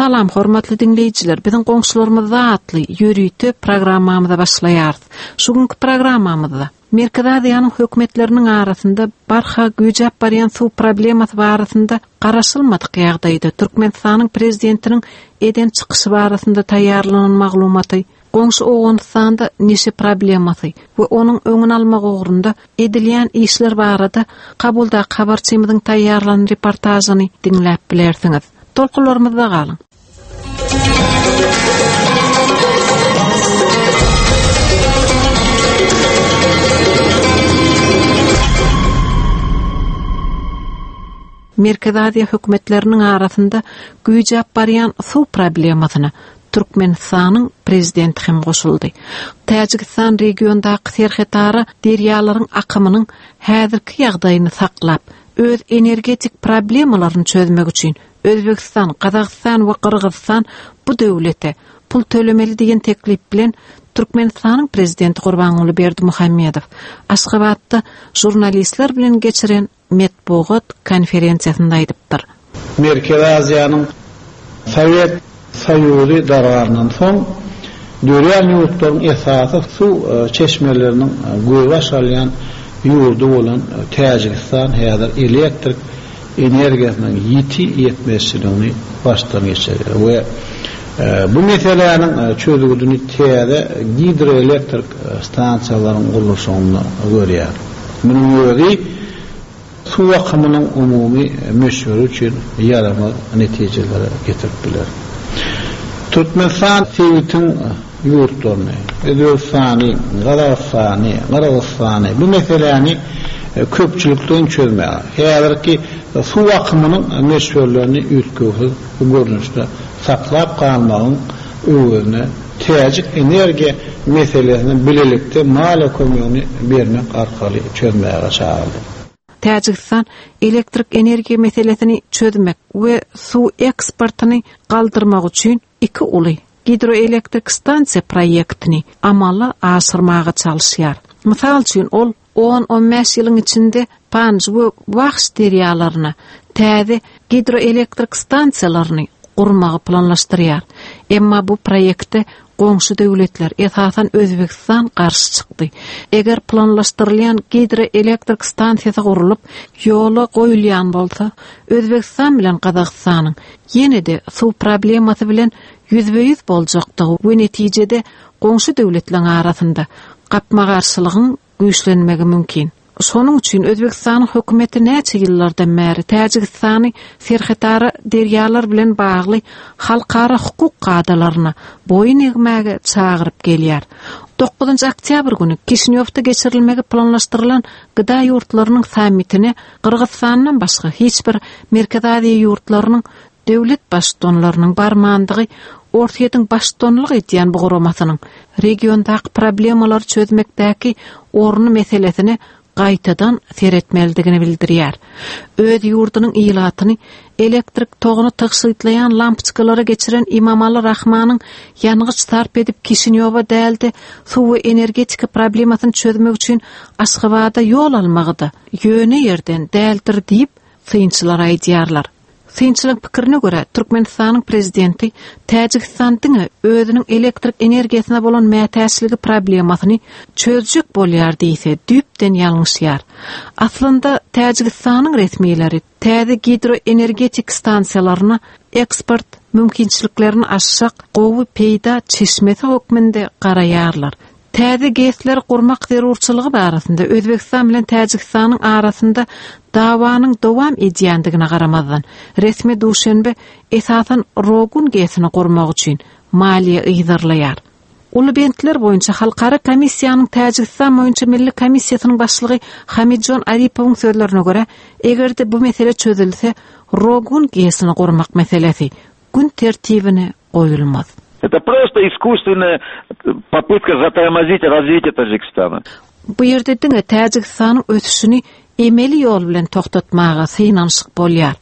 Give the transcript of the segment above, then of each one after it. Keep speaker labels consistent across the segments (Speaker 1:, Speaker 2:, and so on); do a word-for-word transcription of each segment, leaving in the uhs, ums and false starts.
Speaker 1: Salam hormatly diňleýjiler, biziň goňşularymyzda atly ýörite programmamyza başlaýarys. Şu günkü programmamyzda Merkezi Aziýanyň hökümetleriniň arasynda barha güýjäp barýan suw problemasy barasynda garaşylmadyk ýagdaýda Türkmenistanyň prezidentiniň eden çykyşy barasynda taýýarlanan maglumaty, goňşy Owganystanda neşe problemasy we onuň öňüni almak ugrunda edilýän işler barada Kabuldaky habarçymyzyň taýýarlan reportažyny diňläp bilersiňiz. Tolkunlarymyzda galyň. Merkezi Aziýa hökümetleriniň arasynda güýjäp barýan suw problemasyna Türkmenistanyň prezidenti hem goşuldy. Täjigistan regiondaky serhetara derýalaryň akymynyň häzirki ýagdaýyny saklap, öz energetik problemalaryny çözmek üçin Özbegistan, Gazagystan we Gyrgyzystan bu döwlete pul tölemeli diýen teklip bilen Türkmenistanyň prezidenti Gurbanguly Berdimuhamedow Aşgabatda žurnalistler bilen geçiren metbugat konferensiýasynda aýdypdyr.
Speaker 2: Merkezi Aziýanyň Sowet Soýuzy dargandan soň dörän ýurtlaryň esasy suw çeşmeleriniň gözbaş alýan ýurdy bolan Täjigistan häzir elektrik energiýasynyň ýiti ýetmezçiligini başdan geçirýär we bu meseläniň çözgüdini täze gidroelektrik stansiýalaryň gurluşygynda görýär. Munuň özi suw akymynyň umumy möçberi üçin ýaramaz netijelere getirip biler. Türkmenistan sebitiň ýurtlaryny, Özbegistany, Gazagystany, Gyrgyzystany bu meseläni köpçülikleýin çözmäge, häzirki suw akymynyň möçberlerini üýtgewsiz görnüşde saklap galmagyň öwezine täjik energiýa meselesini bilelikde maliýe kömegini bermek arkaly çözmäge çagyrdy.
Speaker 1: Täjigistan elektrik energiýa meselesini çözmek we suw eksportyny galdyrmak üçin iki uly gidroelektrik stansiýa proýektini amala aşyrmaga çalyşýar. Mysal üçin ol on on bäş ýylyň içinde Panj we Wahş derýalaryna täze gidroelektrik stansiýalaryny gurmagy planlaşdyrýar. Emma bu proýekte goňşy döwletler, esasan Özbegistan garşy çykdy. Eger planlaşdyrylýan gidroelektrik stansiýasy gurulyp, ýola goýulýan bolsa, Özbegistan bilen Gazagystanyň ýene-de suw problemasy bilen ýüzbe-ýüz boljakdygy we netijede goňşy döwletleriň arasynda gapma-garşylygyň güýçlenmegi mümkin. Şonuň üçin Özbegistanyň hökümeti näçe ýyllardan bäri Täjigistany serhetara derýalar bilen bagly halkara hukuk kadalaryna boýun egmäge çagyryp gelýär. Dokuzynjy oktýabr güni Kişinýowda geçirilmegi planlaşdyrylan G D A ýurtlarynyň sammitine Gyrgyzystandan başga hiç bir Merkezi Aziýa ýurtlarynyň döwlet baştutanlarynyň barmandygy Orsýetiň baştutanlyk edýän bu guramasynyň regiondaky problemalary çözmekdäki orny meselesine gaýtadan seretmelidigini bildirýär. Öz ýurdunyň ilatyny elektrik toguny tygşytlaýan lampoçkalara geçiren Imamali Rahmanyň ýangyç sarp edip Kişinýowa däldi, suw we energetika problemasyny çözmek üçin Aşgabada ýol almagy-da ýöne ýerden däldir diýip synçylar aýdýarlar. Synçylaryň pikirine görä, Türkmenistanyň prezidenti Täjigistan diňe özüniň elektrik energiýasyna bolan mätäçligi problemasyny çözjek bolýar diýse, düýpden ýalňyşýar. Aslynda Täjigistanyň resmileri täze gidroenergetik stansiýalaryna eksport mümkinçiliklerini aşsak gowy peýda çeşmesi hökmünde garaýarlar. Täze G E S-leri gurmak zerurçylygy barasynda Özbegistan bilen Täjigistanyň arasynda dawanyň dowam edýändigine garamazdan, resmi Duşenbe esasan Rogun G E S-ini gurmak üçin maliýe yzarlaýar. Uly bentler boýunça Halkara komissiýanyň Täjigistan boýunça Milli komissiýasynyň başlygy Hamidjon Aripowyň sözlerine görä, eger-de bu mesele çözülse, Rogun G E S-ini gurmak meselesi gün tertibine goýulmaz.
Speaker 3: Это просто искусственная попытка затормозить развитие Таджикистана.
Speaker 1: Bu ýerde diňe Täjigistanyň ösüşini emeli ýol bilen toxtatmaga synanyşyk bolýar.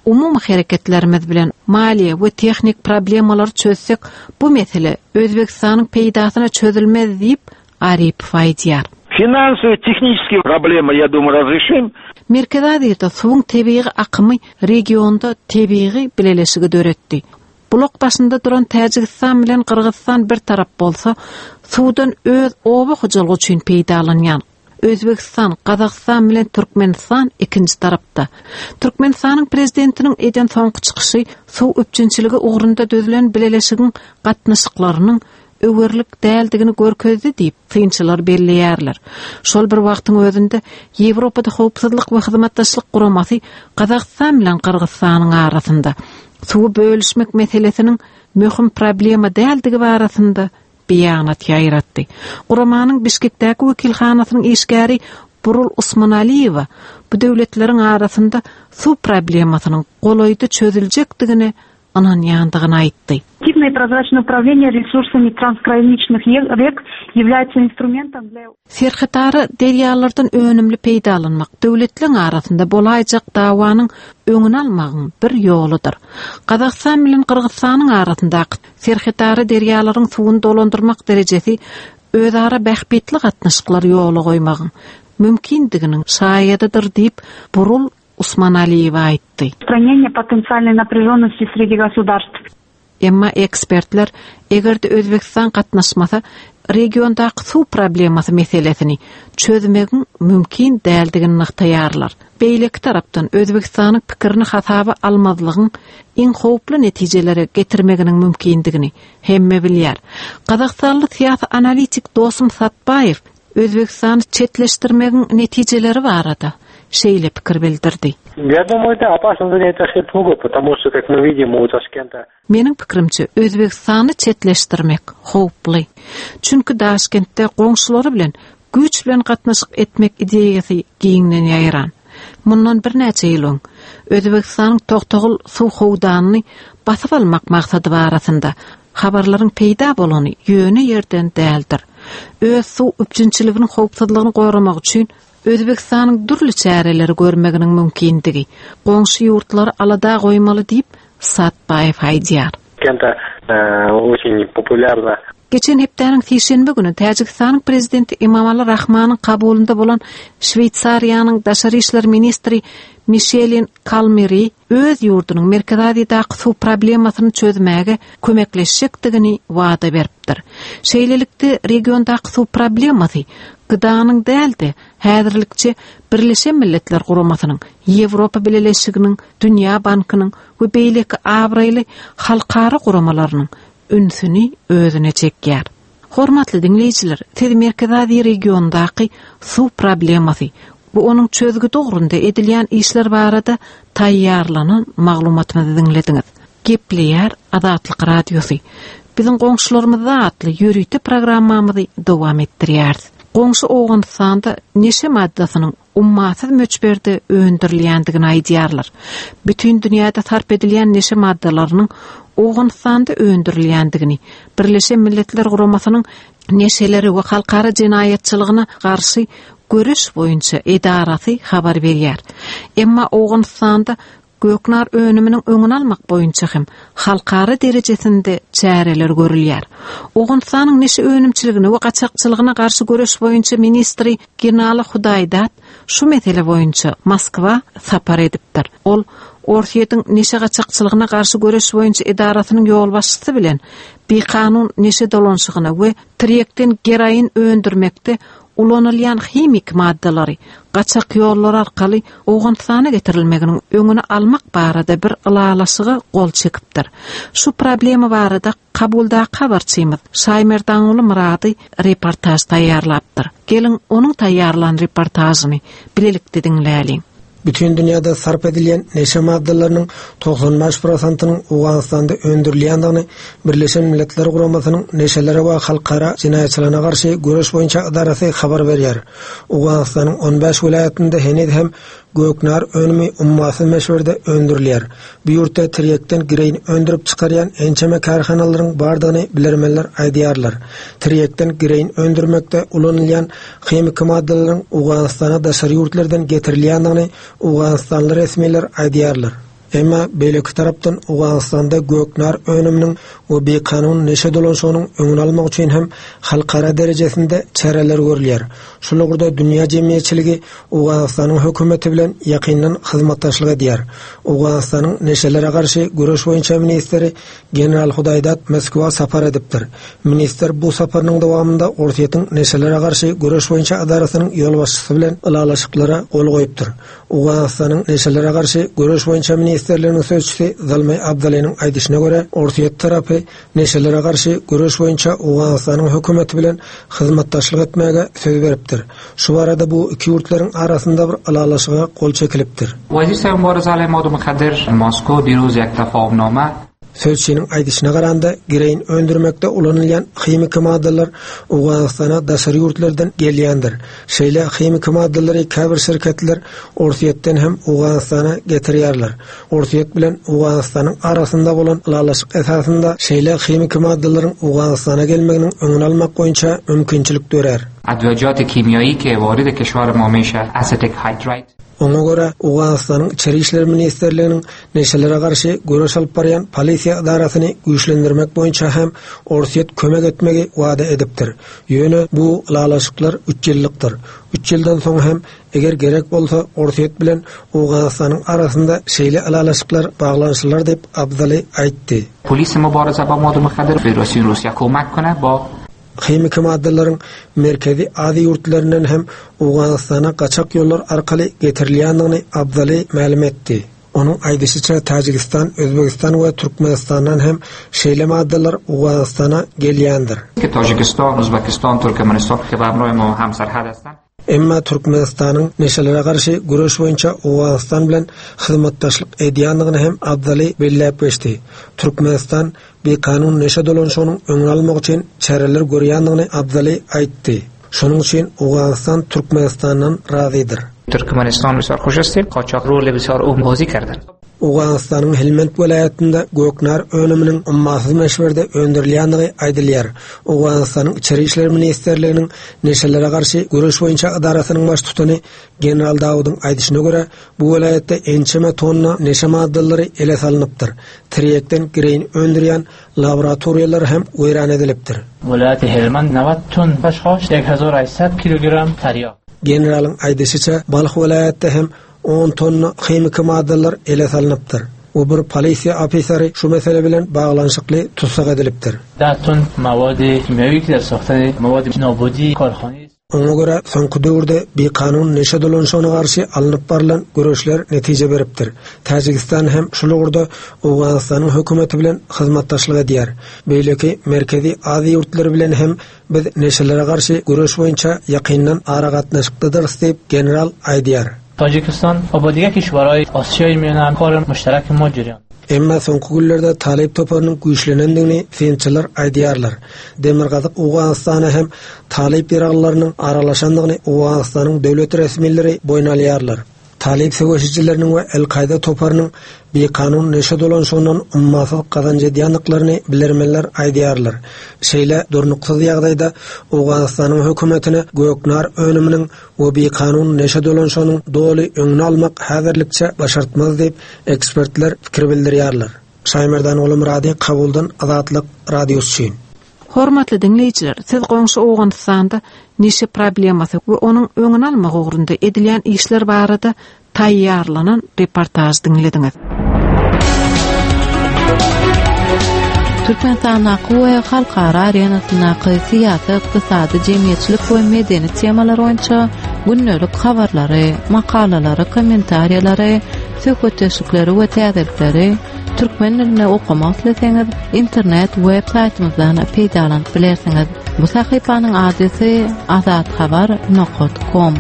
Speaker 1: Umumy hereketlerimiz bilen maliýe we tehnik problemalary çözsek, bu mesele Özbegistanyň peýdasyna çözülmez diýip Aripov aýdýar.
Speaker 3: Финансовые, технические проблемы, я думаю, разрешим.
Speaker 1: Merkezi Aziýada suwuň tebigy akymy regionda tebigy bileleşigi döretdi. Bulak başynda duran Täjigistan bilen Gyrgyzystan bir tarap bolsa, suwdan öz oba hojalygy üçin peýdalanýan Özbegistan, Gazagystan bilen Türkmenistan ikinji tarapda. Türkmenistanyň prezidentiniň eden soňky çykyşy suw üpjünçiligi ugrunda düzülen bileleşigiň gatnaşyklarynyň öwerlik däldigini görkezdi diýip synçylar belleýärler. Şol bir wagtyň özünde Ýewropada howpsuzlyk we hyzmatdaşlyk guramasy Gazagystan bilen Gyrgyzystanyň arasynda suwy bölüşmek meselesiniň möhüm problema däldigi barasynda beýanat ýaýratdy. Guramanyň Bişkekdäki wekilhanasynyň işgäri Burul Usmanaliýewa bu döwletleriň arasynda suw problemasynyň golaýda çözüljekdigine ynanýandygyny aýtdy.
Speaker 4: Эффективное и прозрачное управление ресурсами трансграничных рек является инструментом для
Speaker 1: Serhetara derýalardan önümli peýdalanmak döwletleriň arasynda bolaýjak dawanyň öňüni almagyň bir ýoludyr. Gazagystan bilen Gyrgyzystanyň arasyndaky serhetara derýalaryň suwuny dolandyrmak derejesi özara bähbitli gatnaşyklar ýola goýmagyň mümkindiginiň şaýadydyr diýip Burul Usmanaliýewa aýtdy.
Speaker 4: устранения потенциальной напряженности среди государств.
Speaker 1: Emma ekspertler eger-de Özbegistan gatnaşmasa regiondaky suw problemasy meselesini çözmegiň mümkin däldigini nygtaýarlar. Beýleki tarapdan Özbegistanyň pikirini hasaba almazlygyň iň howply netijelere getirmeginiň mümkindigini hemme bilýär. Gazagystanly syýasy analitik Dosum Satbaýew Özbegistany çetleşdirmegiň netijeleri barada şeýle pikir bildirdi.
Speaker 5: Я думаю, да, опасно занять Ташкент могут, потому что, как мы видим, у Ташкента
Speaker 1: Meniň pikirimçe Özbegistany çetleşdirmek howply. Çünki Daşkentde goňşulary bilen güýç bilen gatnaşyk etmek ideýasy giňden ýaýran. Mundan birnäçe ýyl öň Özbegistanyň Toktogul suw howdanyny basyp almak maksady barasynda habarlaryň peýda bolany ýöne ýerden däldir. Öz suw üpjünçiliginiň howpsuzlygyny goramak üçin Özbegistanyň dürli çäreleri görmeginiň mümkindigi, goňşy ýurtlary alada goýmaly diýip Satbaýew aýdýar.
Speaker 5: Ташкента э, очень популярно
Speaker 1: Geçen hepdäniň sişenbe güni Täjigistanyň prezidenti Emomali Rahmanyň kabulynda bolan Şweýsariýanyň daşary işler ministri Mişelin Kalmeri öz ýurdunyň Merkezi Aziýadaky suw problemasyny çözmäge kömekleşjekdigini wada beripdir. Şeýlelikde regiondaky suw problemasy G D A'nyň däl-de häzirlikçe Birleşen Milletler Guramasynyň, Ýewropa Bileleşiginiň, Dünýä Bankynyň we beýleki abraýly halkara guramalarynyň ünsüni özüne çekýär. Hormatly diňleýjiler, siz Merkezi Aziýa regionundaky suw problemasy we onuň çözgüdi ugrunda edilýän işler barada taýýarlanan maglumatymyzy diňlediňiz. Gepleýär Azatlyk Radiosy. Biziň goňşularymyzda atly ýörite programmamyzy dowam etdirýäris. Goňşy Owganystanda neşe maddasynyň ummasyz möçberde öndürilýändigini aýdýarlar. Bütün dünýäde sarp edilýän neşe maddalarynyň Owganystanda öndürilýändigini Birleşen Milletler Guramasynyň neşeleri we halkara jenaýatçylygyna garşy göreş boýunça edarasy habar berýär. Emma Owganystanda göknar önüminiň öňüni almak boýunça hem halkara derejesinde çäreler görülýär. Owganystanyň neşe önümçiligine we gaçakçylygyna garşy göreş boýunça ministri Ginala Hudaýdat şu mesele boýunça Moskwa sapar edipdir. Ol Orsýetiň neşe gaçakçylygyna garşy göreş boýunça edarasynyň ýolbaşçysy bilen bikanun neşe dolanşygyna we tirýekden geroin öndürmekde ulanylýan himik maddalary gaçak ýollar arkaly Owganystana getirilmeginiň öňüni almak barada bir ylalaşyga gol çekipdir. Şu problema barada Kabuldaky habarçymyz Şaýmerdanguly Myrady reportaž taýýarlapdyr. Geliň onuň taýýarlan reportažyny bilelikde diňläliň.
Speaker 6: Bütün dünýäde sarp edilýän neşe maddalarynyň togsan bäş prosentynyň Owganystanda öndürilýändigini Birleşen Milletler Guramasynyň neşelere we halkara jenaýatçylygyna garşy göreş boýunça edarasy habar berýär. Owganystanyň on bäş welaýatynda heniz hem göknar önümi ummasyz möçberde öndürilýär. Bu ýurtda tirýekden geroin öndürip çykarýan ençeme kärhanalaryň bardygyny bilermenler aýdýarlar. Tirýekden geroin öndürmekde ulanylýan himiki maddalaryň Owganystana daşary ýurtlardan getirilýändigini Owganystanly resmiler aýdýarlar. Emma beýleki tarapdan Owganystanda göknar önüminiň we bikanun neşe dolanşygynyň öňüni almak üçin hem halkara derejesinde çäreler görülýär. Şul ugurda dünýä jemgyýetçiligi Owganystanyň hökümeti bilen ýakyndan hyzmatdaşlyk edýär. Owganystanyň neşelere garşy göreş boýunça ministri General Hudaýdat Moskwa sapar edipdir. Ministr bu saparynyň dowamynda Orsýetiň neşelere garşy göreş boýunça edarasynyň ýolbaşçysy bilen ylalaşyklara gol goýupdyr. Owganystanyň neşelere garşy göreş boýunça ministrliginiň sözçüsi Zalmay Abdalynyň aýdyşyna görä, Orsýet tarapy neşelere garşy göreş boýunça Owganystanyň hökümeti bilen hyzmatdaşlyk etmäge söz beripdir. Şu arada bu iki ýurtlaryň arasynda bir ylalaşyga gol çekilipdir.
Speaker 7: وزیر سوم مبارزه علیه مواد مخدر مسکو دیروز یک تفاهمنامه
Speaker 6: Sözçiniň aýdyşyna garanda gireýin öndürmekde ulanylýan himiki maddalar Owganystana daşary ýurtlardan gelýändir. Şeýle himiki maddalary käbir şirketler Orsýetden hem Owganystana getirýärler. Orsýet bilen Owganystanyň arasynda bolan ylalaşyk esasynda şeýle himiki maddalaryň Owganystana gelmeginiň öňüni almak boýunça mümkinçilik dörer.
Speaker 7: ادویجات کیمیایی که وارد کشور ما میشه استیک هایدرایت
Speaker 6: Oňa görä Owganystanyň Içeri işler ministrliginiň neşelere garşy göreş alyp barýan polisiýa edarasyny güýçlendirmek boýunça hem Orsýet kömek etmegi wada edipdir. Ýöne bu ylalaşyklar üç ýyllykdyr. Üç ýyldan soň hem eger gerek bolsa Orsýet bilen Owganystanyň arasynda şeýle ylalaşyklar baglanyşylar diýip Abdaly aýtdy.
Speaker 7: پلیس مبارزه با مواد مخدر فدراسیون روسیه کمک کنه با
Speaker 6: Himiki maddalaryň merkezi Aziýa ýurtlaryndan hem Owganystana gaçak ýollar arkaly getirilýändigini Abdaly mälim etdi. Onuň aýdyşyça Täjigistan, Özbegistan we Türkmenistandan hem şeýle maddalar Owganystana gelýändir.
Speaker 7: که تاجیکستان، ازبکستان، ترکمنستان که به همراه ما همسرحد هستند
Speaker 6: Emma Türkmenistanyň neşelere garşy göreş boýunça Owganystan bilen hyzmatdaşlyk edýändigini hem Abdaly belläp geçdi. Türkmenistan bikanun neşe dolanşygynyň öňüni almak üçin çäreler görýändigini Abdaly aýtdy. Şonuň üçin Owganystan Türkmenistandan razydyr.
Speaker 7: ترکمنستان بسیار خوش هستیم قاچاق رول بسیار او بازی کردن
Speaker 6: Owganystanyň Helmand welaýatynda göknar önüminiň ummasyz möçberde öndürilýändigi aýdylýar. Owganystanyň Içeri işler ministrliginiň neşelere garşy göreş boýunça edarasynyň baştutany General Dawudyň aýdyşyna görä, bu welaýatda ençeme tonna neşe maddalary ele salynypdyr. Tirýekden gireýin öndürýän laboratoriýalar hem weýran edilipdir.
Speaker 5: ولایت هلمند نود تن خشخاش یک هزار و هشتصد کیلوگرم تریاک.
Speaker 6: Generalyň aýdyşyça Balh welaýatda hem on tonna himiki maddalar ele salynypdyr. O bir polisiýa ofiseri şu mesele bilen baglanyşykly tutsak edilipdir.
Speaker 5: ده تن مواد کیمیایی که در ساختن مواد نابودی کارخانه
Speaker 6: Oňa görä soňky döwürde bikanun neşe dolanşygyna garşy alnyp barylan göreşler netije beripdir. Täjigistan hem şul ugurda Owganystanyň hökümeti bilen hyzmatdaşlyk edýär. Beýleki Merkezi Aziýa ýurtlary bilen hem biz neşelere garşy göreş boýunça ýakyndan aragatnaşykdadyrys diýip general aýdýar.
Speaker 5: تاجیکستان و با دیگر کشورهای آسیای میانه هم کار مشترک ما جریان.
Speaker 6: Emma soňky günlerde Talip toparynyň güýçlenendigini synçylar aýdýarlar. Demirgazyk Owganystana hem Talip ýaraglarynyň aralaşandygyny Owganystanyň döwlet resmileri boýun alýarlar. Talip söweşijileriniň we El-Kaýda toparynyň bikanun neşe dolanşygyndan ummasyz gazanç edýändiklerini bilermenler aýdýarlar. Şeýle durnuksyz ýagdaýda Owganystanyň hökümetine göknar önüminiň we bikanun neşe dolanşygynyň doly öňüni almak häzirlikçe başartmaz diýip ekspertler pikir bildirýärler. Şaýmerdan Oglumyrady, Kabuldan Azatlyk Radiosy üçin.
Speaker 1: Hormatly diňleýjiler, siz goňşy Owganystanda neşe problemasy we onuň öňüni almak ugrunda edilýän işler barada taýýarlanan reportaž diňlediňiz.
Speaker 8: Türkmenistandaky we halkara arenasyndaky syýasy, ykdysady, jemgyýetçilik we medeni temalar boýunça gündelik habarlary, makalalary, kommentariýalary, söhbetdeşlikleri we täzelikleri türkmen dilinde okamak isleseňiz, internet web saýtymyzdan peýdalanyp bilersiňiz. Bu sahypanyň adresi azathabar nokta com.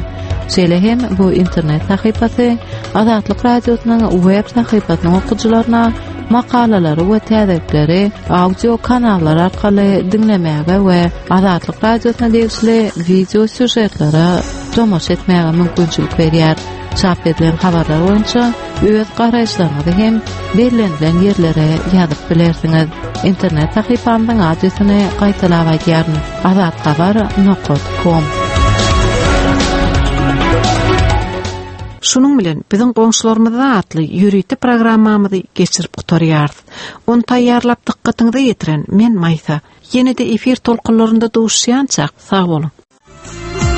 Speaker 8: Şeýle hem bu internet sahypasy Azatlyk Radiosynyň web sahypasynyň okyjylaryna makalalary we täzelikleri audio kanallar arkaly diňlemäge we Azatlyk Radiosyna degişli video sýužetlere tomaşa etmäge mümkinçilik berýär. Çap edilen habarlar boýunça öz garaýyşlaryňyzy hem bellenilen ýerlere ýazyp bilersiňiz. Internet sahypamyzyň adresini gaýtalap aýdýaryn: azathabar nokta com.
Speaker 1: Şunuň bilen biziň goňşularymyzda atly ýörite programmamyzy geçirip gutarýarys. Ony taýýarlap dykgatyňyza ýetiren men Maýsa. Ýene-de efir tolkunlarynda duşýança sag boluň.